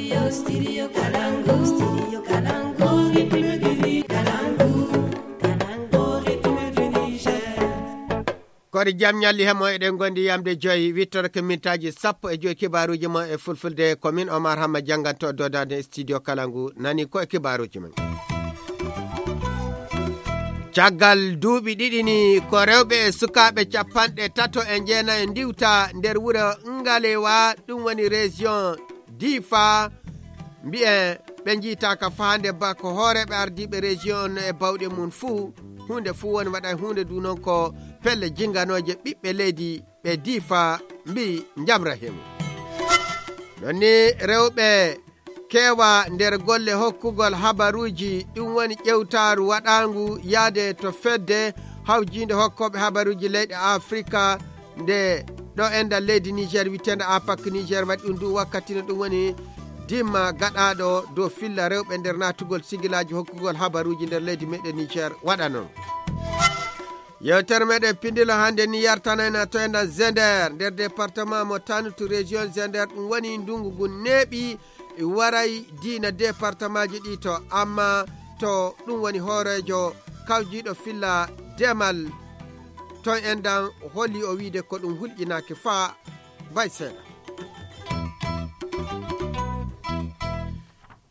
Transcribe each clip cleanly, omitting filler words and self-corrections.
Studio Kalangu. Studio Kalangu. Kodi jam nyalli hemo eɗen gondi yamde joyi wittorke mintaji 15 kibaruji mo e fulfulde commune Omar Hamma janganto dodade studio Kalangu nani ko e kibaruji men. Caggal duuɓi ɗiɗi ni ko rewɓe e sukaaɓe 39 ndiwta nder wuro Ngalewa ɗum woni région Difa mbi'e ɓe jiitaka fahande ba ko hooreɓe ardiɓe région e bawɗe mum fuu hunde fuu woni waɗa hunde du non ko pelle jinganoje ɓiɓɓe leydi ɓe Difa mbi jamra hemu nonni rewɓe kewa nder golle hokkugol habaruji ɗum woni ƴewtaru waɗangu yaade to fedde hawjinde hokkoɓe habaruji leyɗe Afrika nde ɗo endal leydi Niger witende APAC Niger waɗi ɗum du wakkati no ɗum woni dimma gaɗaɗo dow filla rewɓe nder natugol sigilaji hokkugol habaruji nder leydi meɗen Niger waɗa non. Yewtere meɗen pindilo hande ni yartanayna to endan Zender nder département mo Tanutu région Zender ɗum woni ndungu ngu neeɓi waray diina département ji ɗi to amma to ɗum woni hoorejo kawjiɗo filla demal ton endan holli o wiide ko ɗum hulƴinaki faa bay seeɗa.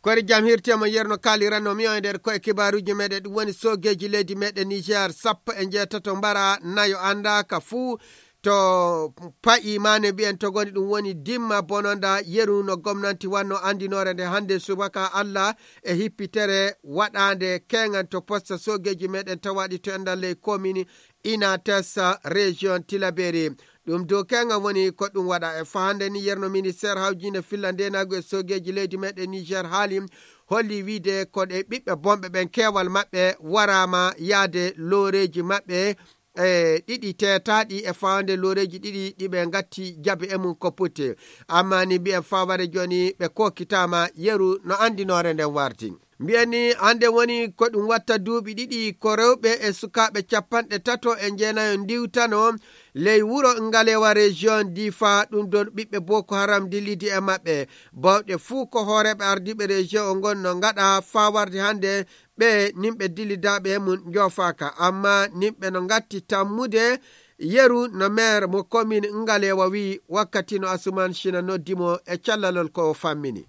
Kori jam hirtema yerno kalirano mi o nder koye kibaruji meɗen ɗum woni sogeji leydi meɗen Niger 16 mbara nayo andaka fuu to pa'i mane mbi'en to goni ɗum woni dimma bononda yeru no gomnanti wanno andinore nde hande subaka Allah e hippitere waɗande kengan to posta sogeji meɗen tawaɗi to endal ley commune Inates région Tilaberi ɗum dow kengan woni ko ɗum waɗa e fahande ni yerno ministére hawjinde fillandenago e sogeji leydi meɗen Niger haali holli wiide ko ɗe ɓiɓɓe bomɓe ɓen kewal maɓɓe warama yaade looreji maɓɓe e ɗiɗi tetaɗi e fawande loreji ɗiɗi ɗiɓe gatti jabe e mum ko putte amma ni mbi'en fawade joni ɓe kokitama yeru no andinore nden warti mbi'en ni hande woni ko ɗum watta duuɓi ɗiɗi ko rewɓe e sukaɓe 39 ndiwtano ley wuro Ngalewa région Difa ɗum don ɓiɓɓe Boko Haram dillidi e maɓɓe bawɗe fuu ko hooreɓe ardiɓe région o gon no gaɗa fawarde hande ɓe nimɓe dillidaɓe e mum jofaka amma nimɓe no gatti tammude yeru no maire mo commune Ngalewa wi wakkati no Asuman Shina noddimo e callalol ko fammini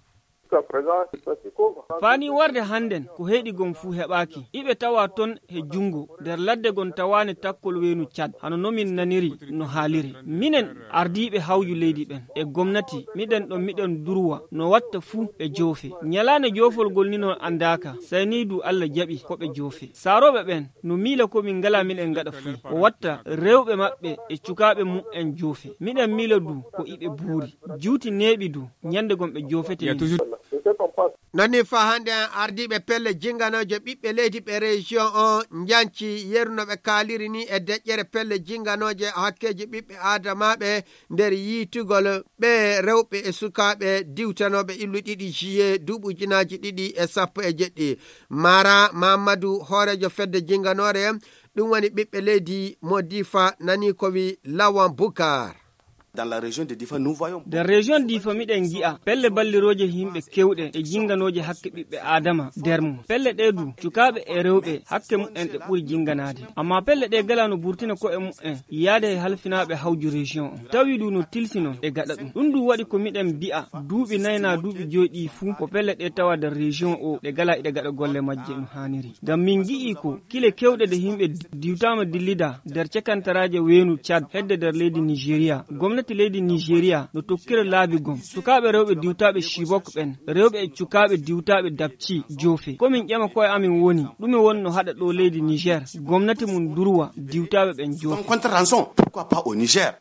fani warde hannden ko heeɗi gon fuu heɓaaki iɓe tawa ton he jungo nder ladde gon tawani takkol weenu Cad hano nomin naniri no haaliri minen ardiɓe hawju leydi ɓen e gomnati miɗen ɗon miɗen durwa no watta fuu ɓe joofe nyalane joofolgol ni no andaka saynidu Allah jaɓi ko ɓe joofe saroɓe ɓen no miila ko min ngala miɗen gaɗa fuu o watta rewɓe maɓɓe e cukaɓe mum en joofe miɗen miila du ko iɓe buuri juuti neeɓi du nyande gon ɓe joofete nonni fa hande ardiɓe pelle jinganoje ɓiɓɓe leydi ɓe région o janci yernoɓe kaaliri ni e deƴƴere pelle jinganoje hakkeji ɓiɓɓe adamaɓe nder yiitugol ɓe rewɓe e sukaɓe diwtanoɓe illu ɗiɗi juillet duuɓujinaji ɗiɗi e 17 Mara Mamadou hoorejo fedde jinganore ɗum woni ɓiɓɓe leydi mo Difa nani ko wi Lawan Bukar. Dans la région de Difa, nous voyons. Dans la région de Difa, miɗen gi'a pelle balliroje himɓe kewɗe e jinganoje hakke ɓiɓɓe adama nder mum. Pelle ɗe du cukaɓe e rewɓe hakke mu'en ɗe ɓuri jinganade. Amma pelle ɗe gala no burtina ko e mu'en yaade e halfinaɓe hawju région o. Tawi du no tilsino e gaɗa ɗum. Ɗum du waɗi ko miɗen bi'a duuɓi nayna duuɓi joyɗi fuu ko pelle ɗe tawa nder région o ɗe gala ɗe gaɗa golle majje no haniri. Ngam min gi'i ko kile kewɗe de himɓe diwtama dillida nder cekantaraje weenu Cad hedde nder leydi Nigeria. Leydi Nigeria no tokkira laabi gom sukaɓe rewɓe diwtaɓe Chibok ɓen rewɓe e cukaɓe diwtaɓe Dapchi joofe komin ƴama koye amin woni ɗume wonno haɗa ɗo leydi Niger gomnati mum durwa diwtaɓe ɓen joofe contre rançon pourquoi pas au Niger.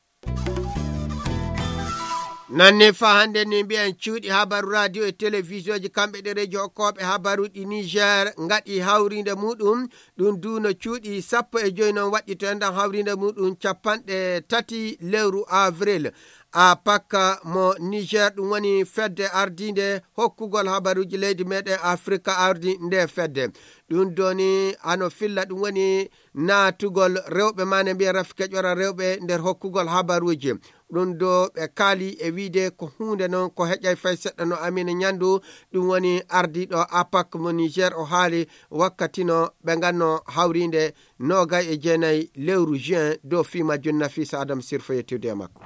Nanne fa hande ni mbi'en cuuɗi habaru radio e télévision ji kamɓe ɗe radio hokkoɓe habaruɗi Niger ngaɗi hawrinde muɗum ɗum duno cuuɗi 15 non waɗi to endan hawrinde muɗum 30 lewru avril a pakka mo Niger ɗum woni fedde ardinde hokkugol habaruji leydi meɗen Afrika ardi nde fedde ɗum doni ano filla ɗum woni natugol rewɓe mane mbiya rafike ƴora rewɓe nder hokkugol habaruji ɗum do ɓe kaali e wiide ko hunde noon ko heƴay fay seɗɗa no Amina Ñandu ɗum woni ardiɗo APAC mo Niger o haali wakkati no ɓe ganno hawrinde 29 lewru juin dow fima Nafisa Adam Sirfo yettude makko.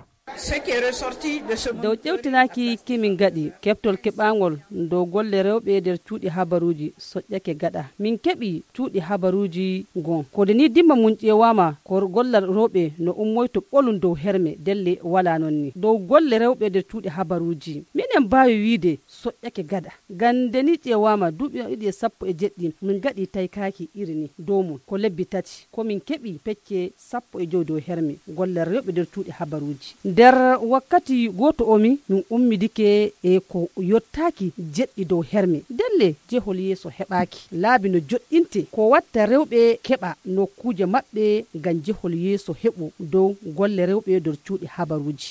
dow ƴewtinaki kimin gaɗi keɓtol keɓagol dow golle rewɓe nder cuuɗi habaruji soƴƴake gaɗa min keɓi cuuɗi habaruji gon kode ni dimma mum ƴewama ko gollal rewɓe no ummoyto ɓolum dow herme delle wala non ni dow golle rewɓe nder cuuɗi habaruji minen mbawi wiide soƴƴake gaɗa gande ni ƴewama duuɓi 17 min gaɗi taykaki iri ni dow mum ko lebbi tati komin keɓi pecce 15 dow herme gollal rewɓe nder cuuɗi habaruji nder wakkati goto omi min ummidike e ko yottaki jeɗɗi dow herme delle jehol yeeso heɓaki laabi no joɗɗinte ko watta rewɓe keɓa nokkuje maɓɓe ngam jehol yeeso heɓu dow golle rewɓe nder cuuɗi habaruji.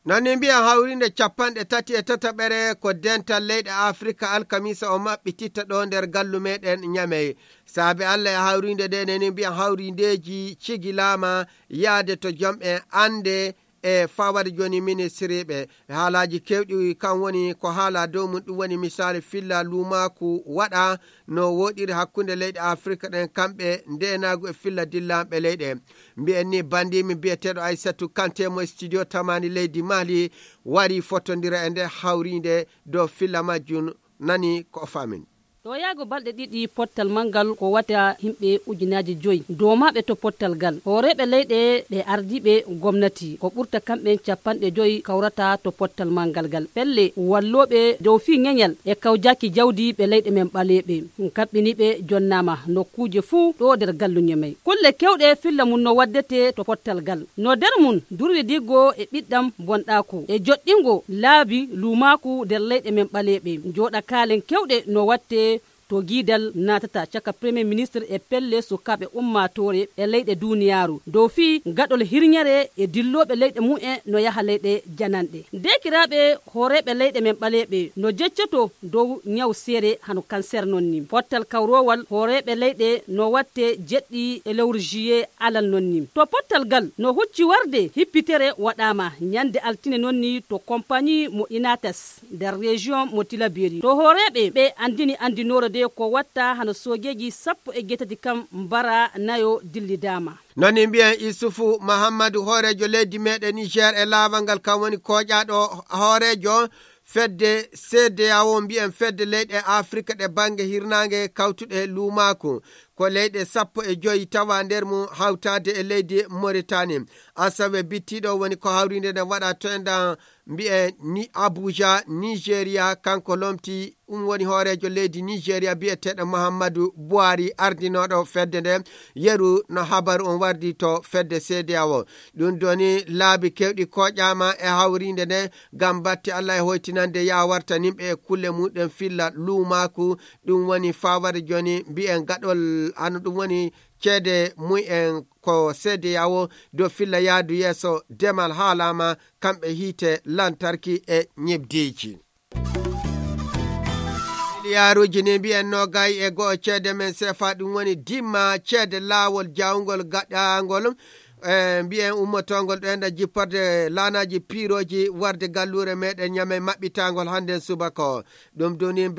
nonni mbiyan hawrinde 33 ko dental leyɗe Afrika alkamisa o maɓɓititta ɗo nder gallu meɗen Ñamey saabi Allah e hawrinde ɗe neni mbiyan hawrindeji cigilama yaade to jomɓe ande e fawade joni ministre ɓe haalaji kewɗi kan woni ko haala dow mum ɗum woni misali filla lumaku waɗa no woɗiri hakkunde leyɗe Afrika ɗen kamɓe ndenagu e filla dillamɓe leyɗe mbiyen ni bandimi biyeteɗo Aissatou Kanté mo studio tamani leydi Mali wari fotodira e nde hawrinde dow filla majjum nani ko famin. ɗo yaago balɗe ɗiɗi pottal mangal ko wata himɓe 5,000 dow maɓe to pottal gal horeɓe leyɗe ɓe ardiɓe gomnati ko ɓurta kamɓe 50 kawrata to pottal mangal gal pelle walloɓe dow fi ŋeñal e kawjaki jawdi ɓe leyɗe men ɓaleɓe kaɓɓiniɓe jonnama nokkuje fuu ɗo nder gallu Ñamey kulle kewɗe filla mum no waddete to pottal gal no nder mum durwi diggo e ɓiɗɗam bonɗaku e joɗɗingo laabi lumaku nder leyɗe men ɓaleɓe joɗa kaalen kewɗe no watte to guidal natata caka premier ministre e pelle sukaɓe ummatore e leyɗe duniyaru dow fi gaɗol hirñere e dilloɓe leyɗe mu'en no yaha leyɗe jananɗe dekiraɓe horeɓe leyɗe men ɓaleɓe no jeccoto dow ñaw seere hano cancer non ni pottal kawrowal horeɓe leyɗe no watte jeɗɗi e lewru juillet alal non ni to pottal gal no hucci warde hippitere waɗama ñande altine non ni to compagnie mo Inates nder région mo Tilaberi to horeɓe ɓe andini andinore ko watta hano sogeji 18 kam mbara nayo dillidama. noni mbiyen Isufu Mahamadou horejo leydi meɗen Niger e laaval ngal kam woni koƴaɗo horejo fedde CEDEAO mbiyen fedde leyɗe Afrika ɗe bange hirnange kawtuɗe lumaku ko leyɗe 15 tawa nder mum hawtade e leydi Mauritanie asawe bittiɗo woni ko hawrinde nde waɗa to endan mbiye ni Abuja Nigeria kanko lomti woni horejo leydi Nigeria biyeteɗo Muhammadu Buhari ardinoɗo fedde nde yeru no habaru on wardi to fedde CEDEAO ɗum doni laabi kewɗi koƴama e hawrinde nde gam batti Allah e hoytinande ya warta nimɓe e kulle muɗen filla lumaku ɗum woni fawade joni mbiyen gaɗol ano ɗum woni ceede mu'en ko CEDEAO dow filla yaadu yeeso demal haalama kamɓe hiite lantarki e ñebdiji yaruji ni mbiyen no gay e go'o ceede men sefa ɗum woni dimma ceede laawol jawgol gaɗangol mbiyen ummotongol ɗo enda jipporde laanaji piroji warde gallure meɗen Ñamey maɓɓitagol hande subaka ɗum doni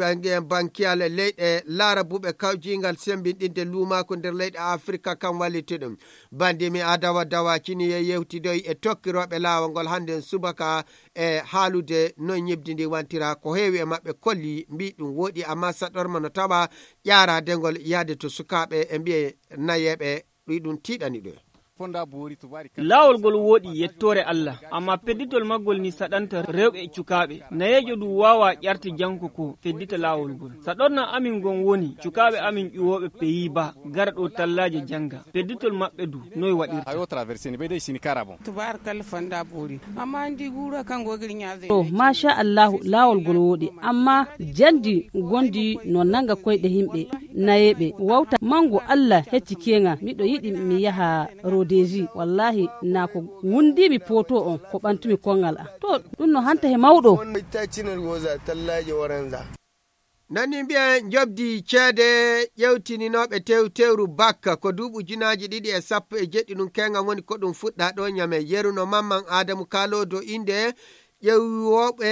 bankiyal leyɗe laarabuɓe kawjingal sembinɗinde lumako nder leyɗe Afrika kam walliti ɗum bandimi Adawa Dawacini e yewtidoy e tokkiroɓe laawol ngol hande subaka e haalude no ñibdi ndi wantira ko heewi e maɓɓe kolli mbi ɗum woɗi amma saɗorma no tawa ƴaradengol yaade to sukaɓe e mbiye nayeɓe ɗum tiiɗani ɗo laawol ngol woɗi yettore Allah amma pedditol maggol ni saɗanta rewɓe e cukaɓe nayejo ɗum wawa ƴarte janko ko feddita laawol ngol saɗorna amin gon woni cukaɓe amin ƴuwoɓe peyi ba gara ɗo tallaje janga pedditol maɓɓe du noy waɗirta masha Allahu laawol ngol woɗi amma jandi gondi no nanga koyɗe himɓe nayeɓe wawta mango Allah hecci kenga miɗo yiɗi mi yaha deji wallahi na ko wundimi poto on ko ɓantumi kongal to ɗum no hanta he mawɗo nani mbiyen jobdi ceede ƴewtininoɓe tewru bakka ko duuɓi ujunaji 2.17 ɗum kenga woni ko ɗum fuɗɗa ɗo nyame yeruno mamman adamu kalodo inde ƴewoɓe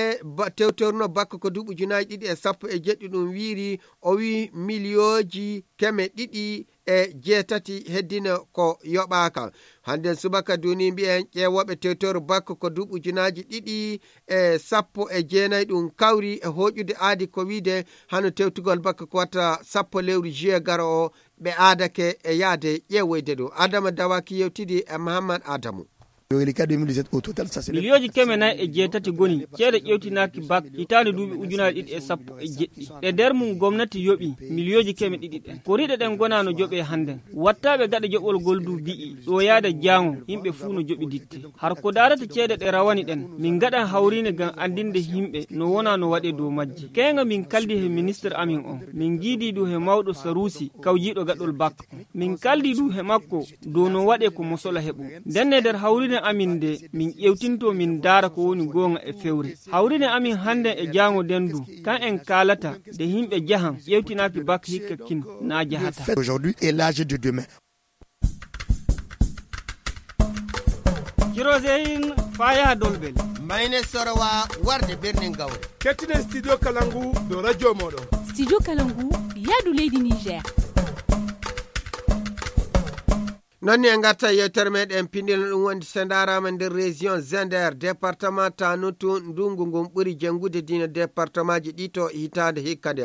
tewtorno bakka ko duuɓi ujunaji 2.17 ɗum wiiri o wi miliyoji 2.8 heddino ko yoɓaka hande subaka duni mbiyen ƴewoɓe tewtoru bakka ko duuɓi ujunaji 2.19 ɗum kawri e hoƴude aadi ko wiide hano tewtugol bakka ko watta 10 lewru juillet garo o ɓe aadake e yaade ƴewoyde ɗum. Adama Dawaki yewtidi e Mahamad Adamu. miliyoji 4.7 goni ceede ƴewtinaki bak hitande duuɓi ujunaji 2.17 e nder mum gomnati yoɓi miliyoji 200 ɗen ko riɗe ɗen gonano joɓe handen wattaɓe gaɗa joɓol goldu bi'i ɗo yaada jango yimɓe fuu no joɓi ditte har ko darata ceede ɗe rawani ɗen min gaɗan hawrine gam andinde yimɓe no wona no waɗe dow majji kenga min kaldi he ministre amin on min giidi du he mawɗo Sarusi kawjiɗo gaɗol bak min kaldi du he makko dow no waɗe ko mosola heɓu ndenne nder hawrine amin de min ƴewtinto min daara ko woni gonga e fewre hawrine amin hande e jango dendu kan en kalata de himɓe jahan ƴewtinaki bak hikka kin na jahata aujourd'hui et l'âge de demain. Jirozeyin faya dolbel mayne sorowa warde birnin gawre kettinen studio Kalangu do radio moɗon. Studio Kalangu yaadu leydi Niger. nonni en gatta yewtere meɗen pindino ɗum wondi sendarama nder région Zender département Tanutu ndungu ngun ɓuuri jengude dina département ji ɗi to hitande hikka nde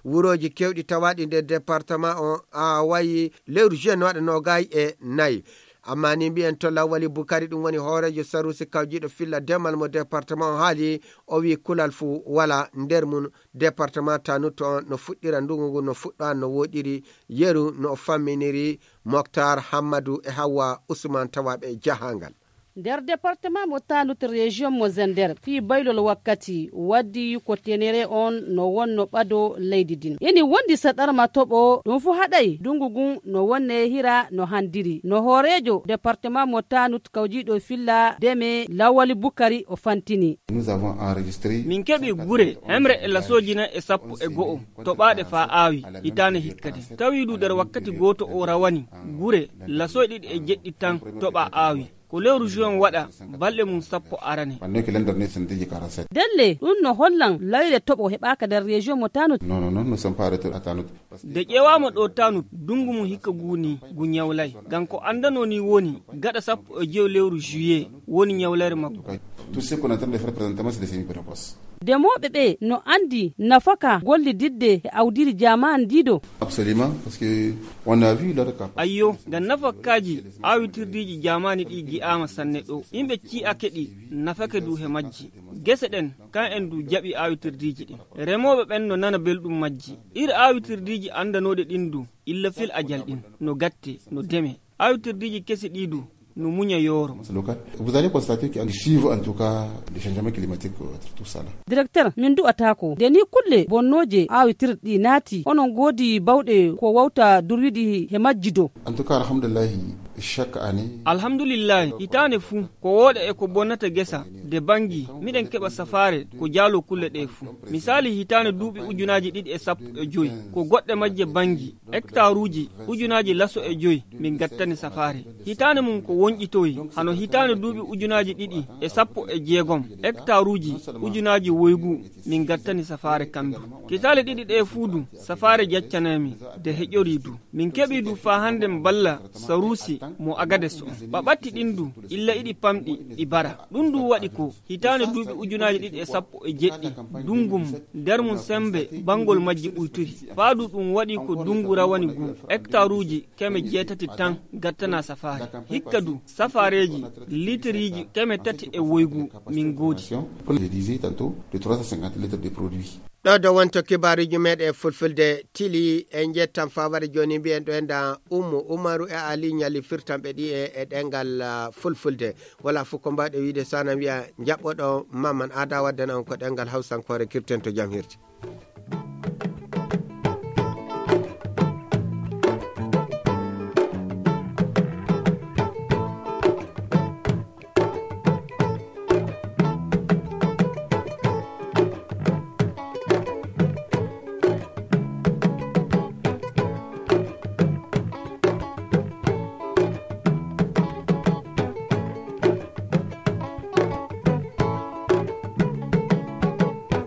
wuroji kewɗi tawaɗi nder département o a wayi lewru juin waɗa 24 amma ni mbiyen to Lawali Bukari ɗum woni hoorejo Sarusi kawjiɗo filla demal mo département o haali o wi kulal fu wala nder mum département Tanutu on no fuɗɗira ndungu ngu no fuɗɗa no woɗiri yeru no famminiri Moktar Hammadou e Hawa Ousmane tawaɓe jahangal nder département mo Tanutu région mo Zender fi baylol wakkati waddi ko tenere on no wonno ɓado leydi din yani wondi saɗarma toɓo ɗum fu haɗay dungugun no wonne hira no handiri no hoorejo département mo Tanutu kawjiɗo filla deme Lawali Bukari o fantini nous avons enregistré min keɓi gure hemre e lasojina e 10 toɓaɗe fa aawi hitane hikkade tawiɗu nder wakkati goto o rawani gure lasoje 2.7 tan toɓa aawi ko lewru juin waɗa balɗe mum 10 arane delle ɗum no hollan layre toɓo heɓaka nder région mo Tanutu non nous sommes pas retour à Tanutu de ƴewama ɗo Tanutu dungu mum hikka guni gu ñawlay gam ko andano ni woni gaɗa 10 lewru juillet woni ñawlare makko tout ce qu'on est en train de faire présentement c'est des semi-précoces demoɓe ɓe no andi nafaka gollididde e awdiri jaman dido absolument parce que on a vu leur cap ayyo gam nafakaji awitirdiji jamani ɗi gi'ama sanne ɗo yimɓe ci'ake ɗi nafake du he majji gese ɗen kan en du jaɓi awitirdiji ɗin remoɓe ɓen no nana belɗum majji iri awitirdiji andanoɗe ɗin du illa fil ajal ɗin no gatte no deme awitirdiji kesi ɗi du no muña yoro. Vous allez constater qu'on suit en tout cas les changements climatiques tout ça là. Directeur min du'atako de ni kulle bonnoje awitirɗi naati onon godi bawɗe ko wawta durwiɗi he majjido. En tout cas alhamdulillah chaque année alhamdulillah itane fu ko woɗa e ko bonnata gesa de bangi miɗen keɓa safare ko jaalo kulle ɗe fu misali hitane duuɓi ujunaji 2.15 ko goɗɗe majje bangi hectare uji ujunaji laso e 5 min gattani safare hitane mum ko wonƴitoyi hano hitane duuɓi ujunaji 2.16 hectare uji ujunaji woygu min gattani safare kamɓe kitale 2 ɗe fuudu safare jaccanami de heƴori du min keɓi du fa hande balla Sarusi mo Agades on ɓaɓatti ɗin du illa iɗi pamɗi ɗi bara ɗum du waɗi ko hitane duuɓi ujunaji 2.17 dungum nder mum sembe bangol majji ɓuyturi faadu ɗum waɗi ko dungu rawani gu hectare uji 8 tan gattana safare hikka du safareji litriji 300 e woygu min goodi ɗo do wonto kibaruji meɗe fulfulde tili en jettan fawade joni mbiyen ɗo enda Umaru e Ali ñali firtanɓe ɗi e ɗengal fulfulde wala fof ko mbawɗe wiide sana wiya jaɓɓoɗo Maman Ada waddan on ko ɗengal hawsankore kirten to jam hirti